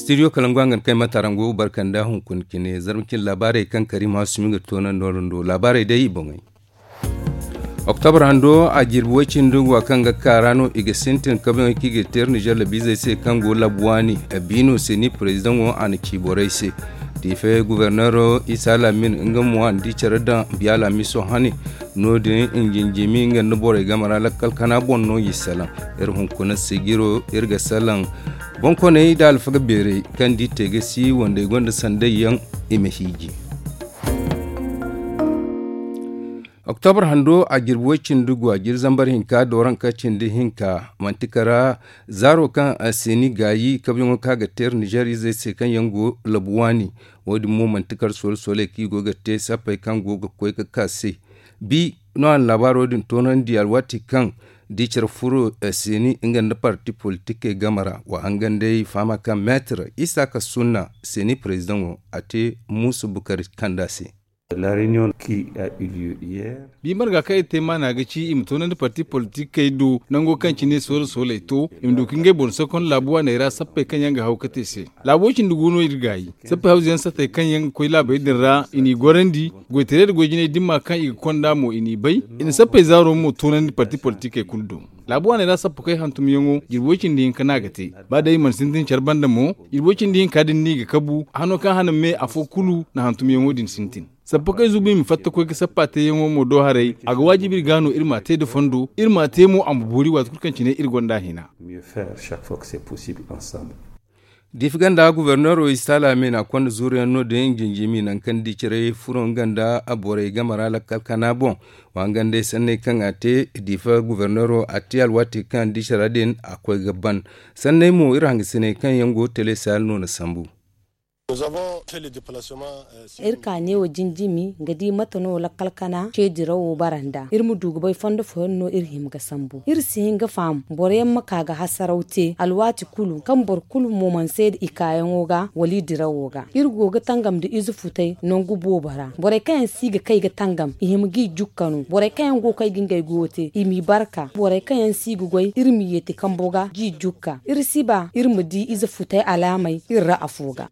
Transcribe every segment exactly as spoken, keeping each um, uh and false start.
Studio kalangu hangan kay matarango barkanda hunkuna cine zarma cine laabaarey kaŋ kariima sumi ga toonandi wara do laabaarey day i boŋey. Oktobar hando a jirbi way cindi guwa kaŋ ga kaara no i ga sintin kabeyaŋ kaŋ i ga teeri nizeer labiizey se kaŋ go labu waani. Biino se ni parezidaŋo a na ci borey se. Diife guberneero isa lamin nga mo a na di care daŋ biya laamiso hane. No- din i jinjimi nga nda borey game ra lakkal kana boŋ no i salaŋ. Iri hunkuna sijiro iri ga salaŋ. Boŋkooney nda alfaga beerey kaŋ di te ga si wandey gonda sanday yaŋ i ma hiiji. Oktobar hando a jirbi way cindi guwa jiri zambar hinka dooranka cindi hinka manti kara zaaro kaŋ a seeni gaayi kabiyaŋo kaŋ a ga teeri nizeer izey se kaŋ yaŋ go labu waani. Wo- din mo manti kara soola sooley kaŋ i go ga te sappey kaŋ go ga koy ga ka se. Bi no a na laabaaro din toonandi alwaati kaŋ da i care furo seeni nga nda parti politikey game ra wa hangan day fahama kaŋ meetir isa ka sunna seeni parezidaŋo a te muusa bukari kanda se. Bi marga kaŋ iri te maana ga ci i ma toonandi parti politikey do nango kaŋ cine soola sooley to i ma du ka ngey boŋ sokon laabu waaney ra sappey kaŋ yaŋ ga haw ga te se. Laabo cindi go no iri gaayi sappey hawzu yaŋ sattey kaŋ yaŋ ga koy laabey din ra i n'i gorandi. Goytaray nda goy-jinay dimma kaŋ i ga konda mo i n'i bay. I na sappey zaaro mo toonandi parti politikey kulu do. Laabu waaney ra sappa koy hantumyaŋo jirbi way cindi hinka no a ga te. Ba day i mana sintin care banda mo jirbi way cindi hinka din no i ga kabu hano kaŋ hana me afo kulu na hantumyaŋo din sintin. Sappa koy zubu i ma fatta koy ga sappa teeyaŋo mo do haray a ga waajibi iri ga no iri m'a te nda fondo iri m'a te mo a ma boori waati kulu kaŋ cine iri gonda hina. Diifi ganda guberneero isa laamina konda zuuru yaŋ no- din jinjimi nangu kaŋ di care furo nga nda borey game ra lakkal kana boŋ. Wa nga nd'ey sanney kaŋ a te diifa guberneero a te alwaati kaŋ di care din a koy ga ban. Sanney mo iri hangasiney kaŋ yaŋ go tele saali no na sambu. Iri ka neewo jinjimi ga di mate no lakkal kana ce dirawo bara nd'a iri ma du ga bay fondo fooyaŋ no iri hima ga sambu iri si hin ga faham boro yaŋ ma ka ga hasaraw te alwaati kulu kaŋ boro kulu mo mana seeda i kaayaŋo ga wala i dirawo ga iri go ga tangam nda ize futay nangu boobo ra borey kaŋ yaŋ si ga kay ga tangam i hima g'i jukka no borey kaŋ yaŋ go ga kay ga ngey goyo te i m'i barka borey kaŋ yaŋ si ga goy iri m'i yeeti kambo ga g'i jukka iri si ba iri ma di ize futay alaamey iri ra afo ga.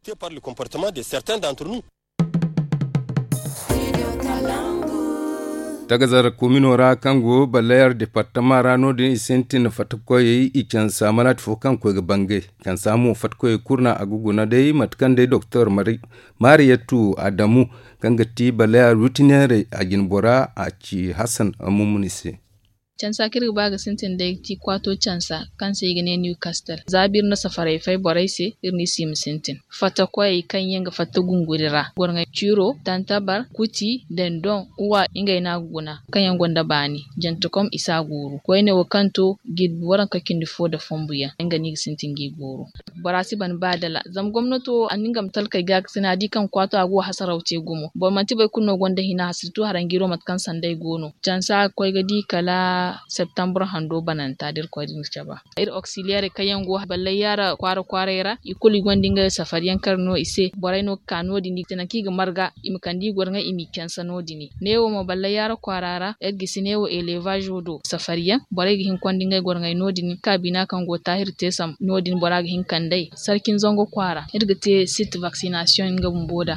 Tagazar komino ra kaŋ go ballayar departama ra no- din i sintin fattakoyey i cansa malaati fo kaŋ koy ga bangay cansa mo fattakoyey kulu no a ga guna day mate kaŋ day doktor mariyatu adamu kaŋ ga ti ballayar rutiniyarey a jinbora a ci hasan mumuni se. Cansa kaŋ iri ga ba ga sintin day ga ti kwaato cansa kaŋ se i ga ne niwkastel za biri na safaray fay borey se iri no i si ma sintin fatta koyey kaŋ yaŋ ga fatta gunguri ra gorŋey ciro tantabar kuti dendon uwa ngey no a ga guna kaŋ yaŋ gonda baani jantekom i si a guuru koyne wo kaŋ to jirbi waranka cindi fo nda fombu yaŋ nga no i ga sintin g'i guuru. Bora si ban ba dala zama gomnato a na nga ma talkey ga ga sina a di kaŋ kwaato a go hasaraw te gumo boro manti boro kulu no gonda hina hasirtu haranjiiro mate kaŋ sanday go no cansa ga koy ga di kala septambur hando bananta da irkoy din ga caba. Iri oksiliyeerey kaŋ yaŋ go ballay yaara kwaara kwaaray ra i kulu i gonda ngey safariyaŋ kar no i se borey no ga ka no- din i ga te nangu kaŋ i ga marga i ma kande i goro ŋa i m'i cansa no- din. Neewo mo ballay yaara kwaara ra iri gisi neewo elevaazo do safariyaŋ borey ga hin ga konda ngey goro ŋey no- din kaabina kaŋ go taahir teesam no- din bora ga hin ga kand'ey sarkin zango kwaara iri ga te sit vaksinasiyoŋ nga bumbo nd'a.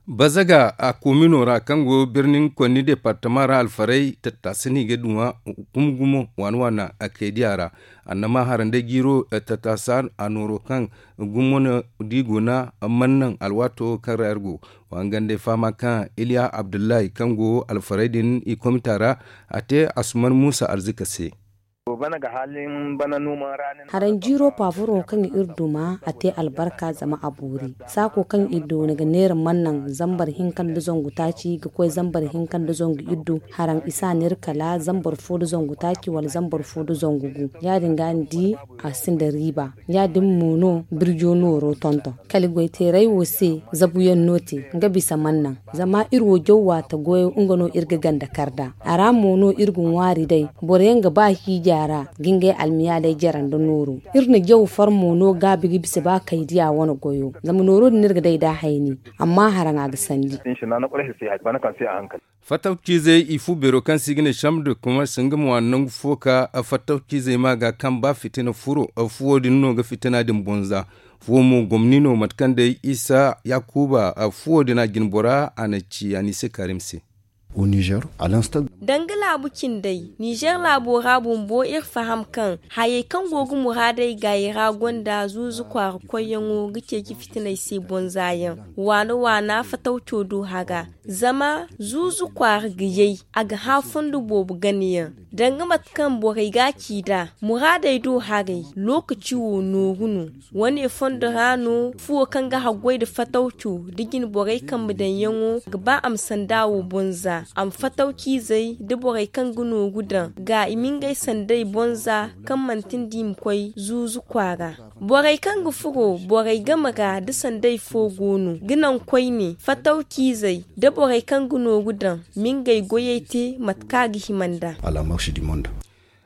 Bazaga a komino ra kaŋ go birnin konni departama ra alfarey tattaasa no i ga duŋa gumo gumo waana waana a kay diya ra. Annama harandey jiiro tattaasa a nooro kaŋ gumo no da i guna man naŋ alwaato kaŋ ra iri go. Wa nga nd'ey fahama kaŋ iliya abdullahi kaŋ go alfarey din i komita ra a te asuman muusa arzika se. Haraŋ jiiro paafuro kaŋ iri duma a te albarka zama a boori. Saako kaŋ iri doona ga neera man naŋ zambar hinka nda zangu taaci ga koy zambar hinka nda zangu iddu haraŋ i si a neera kala zambar fo nda zangu taaci wala zambar fo nda zangu gu. Ya- din ga ni di a sinda riiba. Ya- din mo no birjo nooro tonton kala goyteeray wo se zabuyaŋ no te nga bisa man naŋ. Zama iri wo jaw waata goyo nga no iri ga ganda kar nd'a. A ra mo no iri ga ŋwaari day boro yaŋ ga ba hiija ra ga ngey almiyaaley jare nda nooro. Iri na jaw far mo no gaabi ga bisa ba kaydiya wane goyo zama nooro din iri ga day nd'a hayni. Amma haraŋ a ga sandi. Fattaw ciizey i fu beero kaŋ se i ga ne chambre de commerce nga ma waani nangu fo ka fattaw ciizey ma ga kaŋ ba fitina furo fuwo din no ga fitina din bonza. Fuwo mo gomni no mate kaŋ day isa yakuba fuwo din a jine bora a na ci a ni se karim se. Danga laabu cindey nizer laabo ra bumbo iri faham kaŋ hayey kaŋ go ga muraadey gaayi ra gonda zuuzu kwaara koyyaŋo ga ceeci fitiney se bonza yaŋ waana waana fatawco do haga. Zama zuuzu kwaara ga yay a ga hã fondo boobo ganayaŋ danga mate kaŋ borey ga a ci nd'a muraadey do haray. Lookaci wo nooru no. Wane fondo ra no fuwo kaŋ ga haggoy nda fatawco nda jine borey kambe daŋyaŋo ga ba a ma sanda wo boŋ za a ma fatawciizey nda borey kaŋ ga nooru daŋ ga i ma ngey sandey boŋ za kaŋ manti nda i ma koy zuuzu kwaara. Borey kaŋ ga furo borey game ra nda sandey fo go no ga naŋ koyne fatawciizey nda borey kaŋ ga nooru daŋ ma ngey goyey te mate kaŋ a ga hima nd'a.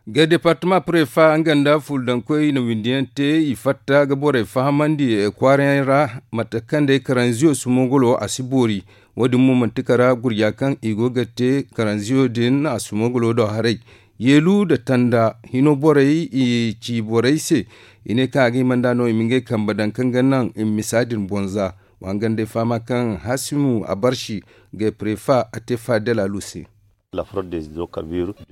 Ga departama prefa nga nda fuldankoy na windi yaŋ te i fatta ga borey fahamandi kwaara yaŋ ra. Mate kaŋ day karanziyo sumogolo a si boori. Wo- din mo manti kara gurja kaŋ i go ga te karanziyo din a sumogolo do haray. Yeelu nda tanda hino borey i ci borey se. I ne kaŋ a ga hima nd'a no i ma ngey kambe daŋ kaŋ ga naŋ i ma misa din boŋ za. Wa nga nda ay fahama kaŋ hasimu a barsi ga prefa a te fadel alu se.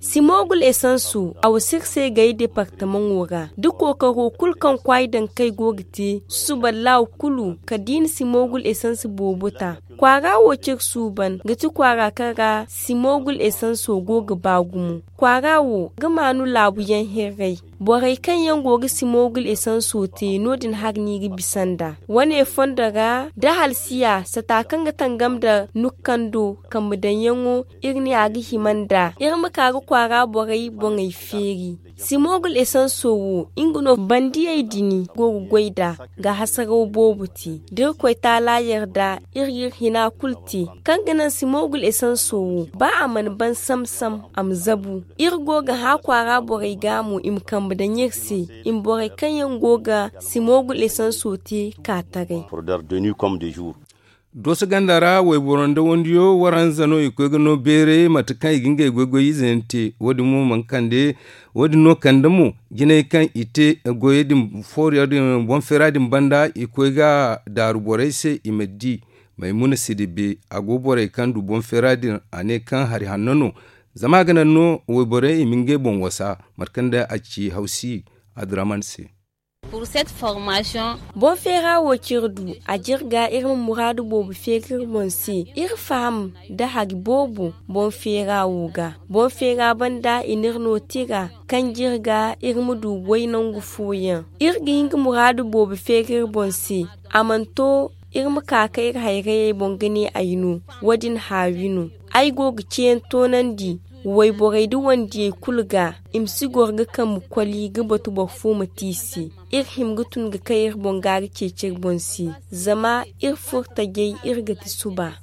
Simogul esanso a wasa iri se gay departamaŋo ra da kookaro kulu kaŋ kwaay dankey go ga te susuba laaw kulu kala da i na simogul esanso boobo ta. Kwaara wo cire suuban ga ti kwaara kaŋ ra simogul esanso go ga ba gumo. Kwaara wo ga maanu laabu yaŋ hirray. Borey kaŋ yaŋ go ga simogul esanso te no- din hari no i ga bisa nd'a. Wane fondo ra da halsiya sata kaŋ ga tangam nda nukkando kambe daŋyaŋo iri ne a ga hima nd'a iri ma ka ga kwaara borey boŋey feeri. Simogul esanso wo nga no bandiyey din go ga goy nd'a ga hasaraw boobo te da iri koy taala yarda iri ga iri hina kulu te. Kaŋ ga naŋ simogul esanso wo ba a mana ban sam sam a ma zabu. Iri go ga hã kwaara borey ga mo i ma kambe daŋ iri se i ma borey kaŋ yaŋ go ga simogul esanso te ka taray. Dooso ganda ra wayboro nda wandiyo waranza no i koy ga no beeray mate kaŋ i ga ngey goy goy ize yaŋ te. Wo- din mo mana kande wo- din no kande mo jinay kaŋ i te goyey din fooriyaŋ din boŋ feera din banda i koy ga daaru borey se i ma di. Maymuna sidibe a go borey kaŋ du boŋ feera din a ne kaŋ hari hanno no. Zama a ga naŋ no wayborey i ma ngey boŋ wasa mate kaŋ day a ci hawsi adiraman se. Boŋ feera wo kaŋ iri du a jirga iri ma muraadu boobo feeri iri boŋ se. Iri faham nda hari boobo boŋ feera wo ga. Boŋ feera banda i n'iri no tira kaŋ jirga iri ma du goy nangu fooyaŋ. Iri ga hin ga muraadu boobo feeri iri boŋ se. A mana to iri ma ka ka iri hayrayey boŋ ga ne ay no. Wo- din haawi no. Ay go ga ceeyaŋ toonandi wayborey nda wandiyey kulu ga. I ma si goro ga kambe koli ga batu boro fo ma te i se. Iri hima ga tun ga kay iri boŋ ga ga ceeci iri boŋ se. Zama iri furo tajay iri ga ti suba.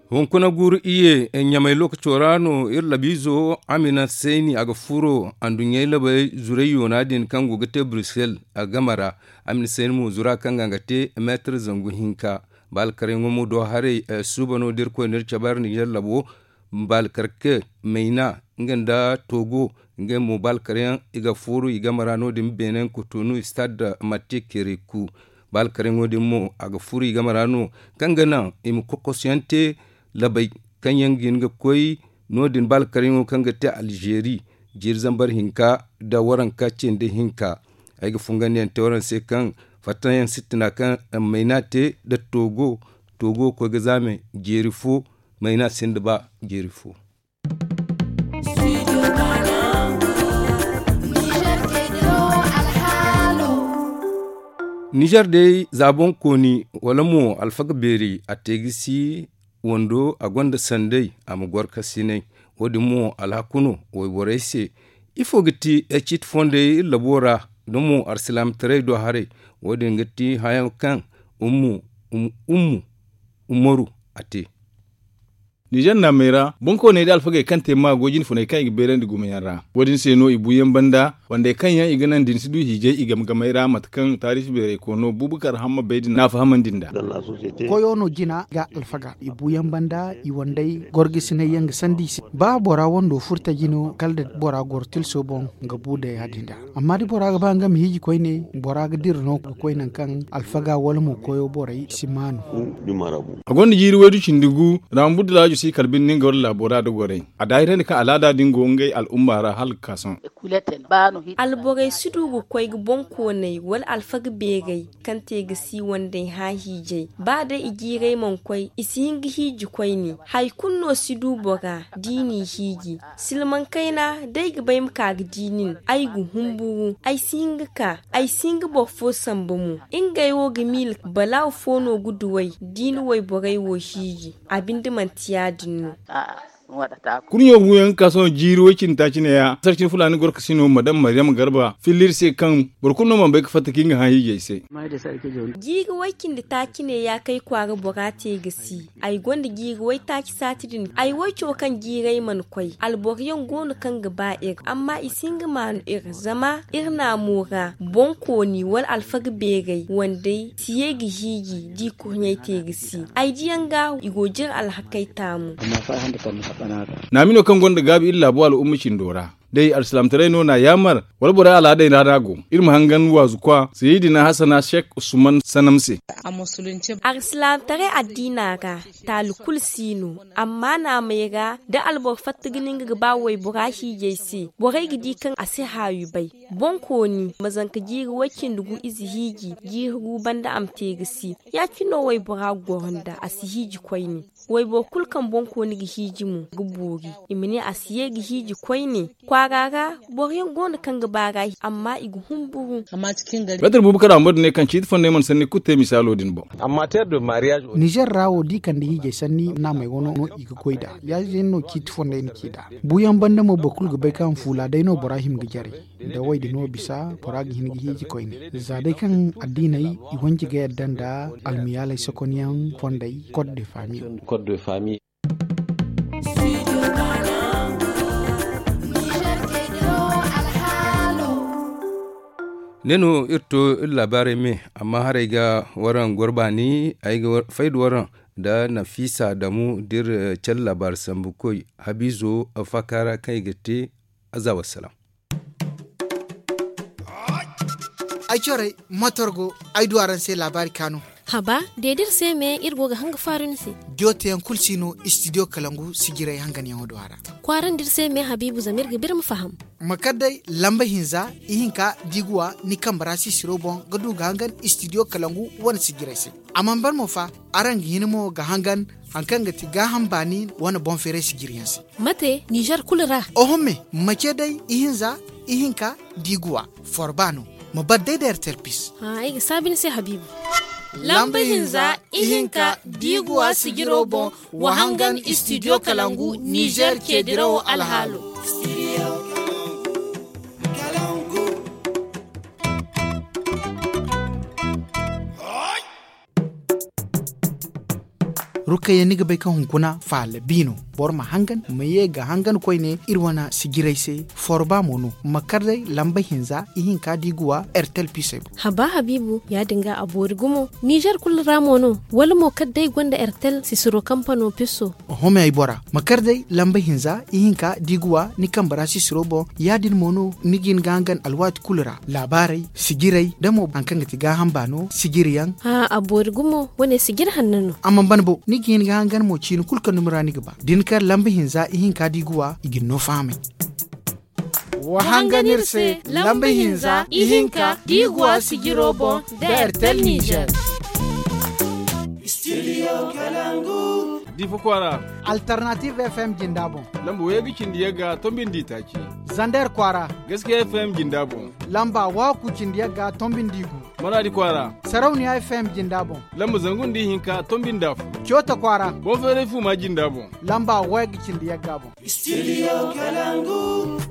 Hunkuna guuru iyye ɲamay lookaco ra no iri labiizo amina sayni a ga furo anduɲɲey labey zurey yoona din kaŋ go ga te brussel a game ra. Amina sayni mo zura kaŋ ga nga te meetar zangu hinka. Ba alkaryaŋo mo do haray suuba no da irkoy no iri cabe ra ninzeer labo. Ba alkarke mayna nga nda togo ngey mo ba alkaryaŋ i ga fooru i game ra no- din beene kotonu stade matte kereku. Ba alkaryaŋo din mo a ga furu i game ra no kaŋ ga naŋ i ma kokosuyaŋ te labey kaŋ yaŋ ga hin ga koy no- din ba alkaryaŋo kaŋ ga te alzeeri jiiri zambar hinka nda waranka cindi hinka. Ay ga fungandiyaŋ te waraŋ se kaŋ fattayaŋ sittina kaŋ mayna te nda togo. Togo koy ga zaame jeeri fo mayna sinda ba jeeri fo. Nizer day za boŋ kooni wala mo alfaga beeri a te ga si wando a gonda sanday a ma goro kasinay. Wo- din mo alhaku no wayborey se. Ifo ga ti ciiti fondey iri labo ra da mo alsilaamataray do haray? Wo- din ga ti hayaŋ kaŋ ummu ummu umaru a te. Nizer naamey ra, bonkooney nda alfagey kaŋ te maago jinfuney kaŋ i ga beerandi gumo yaŋ ra. Wo- din se no i buuyaŋ banda, wandey kaŋ yaŋ i ga naŋ da ni si du hiijay i game-gamey ra mate kaŋ taariisi beeray koono buubakar hamma bay din n'a fahamandi nd'a. Koyo no jina ga alfaga i buuyaŋ banda i wandey gorgisinay yaŋ ga sandi i se. Ba bora wando furtaji no kala da bora goro tilso boŋ ga bu da ya- din da. Amma da bora ga ba nga ma hiiji koyne, bora ga dira no ga koy nangu kaŋ alfaga wala mo koyo borey si maanu. A gonda jiiri waydu cindi gu, raambudu laajo si kala binde nga wala laabo ra da gorey. A daahirandi kaŋ alaada din go ngey al'umma ra hala ga ka sohõ. Alborey si du ga koy ga bonkooney wala alfaga beerey kaŋ te ga si wandey hã hiijay. Ba day i jiirey mana koy i si hin ga hiiji koyne. Hari kulu no si du bora da i n'i hiiji. Silmaŋ kayna, day ga bay ma ka ga di nin, ay ga humburu, ay si hin ga ka, ay si hin ga boro fo samba mo. Ngey wo ga miila balaaw fo no ga duw'ey da i na wayborey wo hiiji. A binde manti ya- din no. Kurɲo buuyaŋ ga ka sohõ jiiri way cindi taaci neeya sarcin fulaani gorkasino madam maryam garba filla iri se kaŋ boro kulu no mana bay ga fatta ka nga hã hiijay se. Jiiri way cindi taaci neeya kaŋ ay kwaara bora te ga si. Ay gonda jiiri waytaaci saati din ay wayco kaŋ jiiray mana koy alboro yaŋ go no kaŋ ga ba iri amma i si hin ga maanu iri zama iri naamo ra bonkooni wala alfaga beeray wandey si ye ga hiiji da i kurɲey te ga si. Ay diyaŋ ga i go jire alhakey taamu. Naami no kaŋ gonda gaabi iri laabo al'umma cindo ra day alsilaamataray no n'a yaamar wala borey alaadey ra no a go. Iri ma hangan waazu kwa sayidina hasana sek usman sanam se. Alsilaamataray addiina ra taali kulu si no. Amma naamey ra da alboro fatta ga ne nga ga ba waybora hiijay se borey ga di kaŋ a si haawi bay. Bonkooni ma zanka jiiri way-cindi gu ize hiiji jiiri gu banda a ma te ga si. Ya- cine no waybora ga goro nda a si hiiji koyne. Wayboro kulu kaŋ bonkooni ga hiiji mo ga boori. I ma ne a si ye ga hiiji koyne. Kwaara ra boro yaŋ go no kaŋ ga ba ra amma i ga humburu. Meetar buubu kala a ma boro din ne kaŋ ciiti fondey mana sanni kulu te misaalo din boŋ. Nizer ra wo da i kande hiijay sanni naamey wano no i ga goy nd'a. Ya- din no ciiti fondey na ci nd'a. Buuyaŋ banda mo boro kulu ga bay kaŋ fuula day no bora hima ga jare. Da way- din no bisa bora ga hin ga hiiji koyne za day kaŋ addiiney i wanji ga yadda nda almiyaaley sokonyaŋ fondey kod de faami. Ne no iri to iri laabaarey me amma haray ga waraŋ goro baani ay ga fay da waraŋ nda nafiisa damu da iri cale laabaari sambukoy habiizo faaka ra kaŋ i ga te. Aza wassalam. Ay corey motor go ay du araŋ se laabaari kaanu. Haba de da iri se me iri go ga hanga faaru ni se. Jooteyaŋ kulu si no istidiyo kalangu sijirey hanganyaŋo do a ra. Kwaarandi iri se me habiibu zama iri ga ba iri ma faham. Ma kar day lamba hinza ihinka da i ga wa ni kambe ra sisiro boŋ ga du ga hangan istidiyo kalangu wane sijirey se. A mana ban mo fa araŋ ga hin mo ga hangan hari kaŋ ga ti gaaham baani wane boŋ feeray sijiriyaŋ se. Mate nizer kulu ra? Oho me ma ce day ihinza ihinka da i ga wa forba no. Ma bar day da ertel pis. Ay ga saabi ni se habiibu. Lamba hinza ihinka da i ga wa sijiro boŋ wa hangan istidiyo kalangu nizer ceedirawo alhaalo. Rukayya ni ga bay kaŋ hunkuna faala bi no. Boro ma hangan ma ye ga hangan koyne iri wane sijirey se. Forba mo no ma kar day lamba hinza ihinka da i ga wa ertel pisey boŋ. Haba habiibu ya- din ga a boori gumo. Nizer kulu ra mo no wala mo kala day gonda ertel sisiro kampano piso? Home ay bora ma kar day lamba hinza ihinka da i ga wa ni kambe ra sisiro boŋ. Ya- din mo no ni ga hin ga hangan alwaati kulu ra laabaarey sijirey da mo hari kaŋ ga ti gaaham baano sijiriyaŋ. A boori gumo wane sijiri hanno no. A mana ban bo ni ga hin ga hangan mo ciini kulu kaŋ dumi ra ni ga ba da ni kar lamba hinza ihinka da i ga wa i ga ni no fahamay. Wa hangan iri se lamba hinza ihinka da i ga wa sijiro boŋ da ertel nizer. Difa kwaara. Alternative fm jinda boŋ. Lamba waygu cindi yagga tombi nda itaaci. Zander kwaara. Gaskiya fm jinda boŋ. Lamba waaku cindi yagga tombi nda igu. Maradi kwaara. Sarauniya fm jinda boŋ. Lamba zangu nda ihinka tombi nda afo. Coota kwaara. Boŋ feeray fuuma jinda boŋ. Lamba waygu cindi yagga boŋ. Studio kalangu.